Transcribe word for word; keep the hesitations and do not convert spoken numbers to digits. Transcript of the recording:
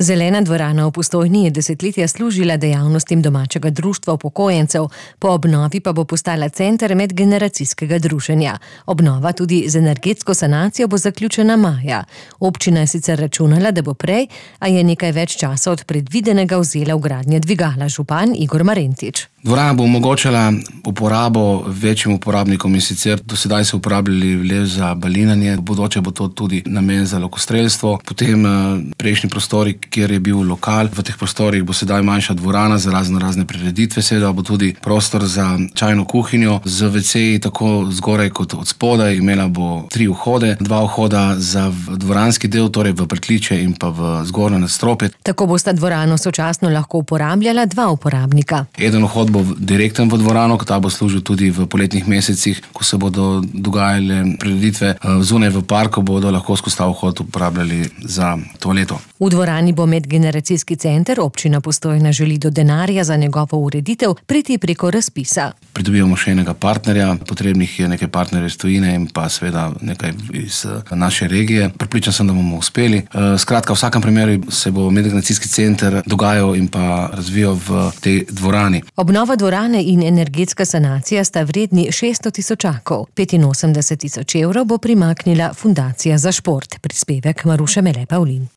Zelena dvorana v Postojni je desetletja služila dejavnostim domačega društva upokojencev, po obnovi pa bo postala center medgeneracijskega druženja. Obnova tudi z energetsko sanacijo bo zaključena maja. Občina je sicer računala, da bo prej, a je nekaj več časa od predvidenega vzela v gradnje dvigala župan Igor Marentič. Dvorana bo omogočala uporabo večjim uporabnikom, in sicer do sedaj so uporabljali le za balinanje, v bodoče bo to tudi namen za lokostrelstvo. Potem prejšnji prostori, kjer je bil lokal, v teh prostorih bo sedaj manjša dvorana za razno razne prireditve, seveda bo tudi prostor za čajno kuhinjo z veceji tako zgoraj kot od spodaj. Imela bo tri vhode, dva vhoda za dvoranski del, torej v pritličje in pa v zgornje nadstropje. Tako bosta dvorano sočasno lahko uporabljala dva uporabnika. Eden vhod bo direkten v dvorano, ta bo služil tudi v poletnih mesecih, ko se bodo dogajale prireditve zunaj v parku, bodo lahko skozi ta vhod uporabljali za toaleto. V dvorani bo medgeneracijski center, občina Postojna želi do denarja za njegovo ureditev priti preko razpisa. Pridobivamo še enega partnerja, potrebnih je nekaj partnerjev iz tujine in pa seveda nekaj iz naše regije. Pripričan sem, da bomo uspeli. Skratka, v vsakem primeru se bo medgeneracijski center dogajal in pa razvijal v tej dvorani. Obnova dvorane in energetska sanacija sta vredni šeststo tisočakov. petinosemdeset tisoč evrov bo primaknila Fundacija za šport. Prispevek Maruše Mele Pavlin.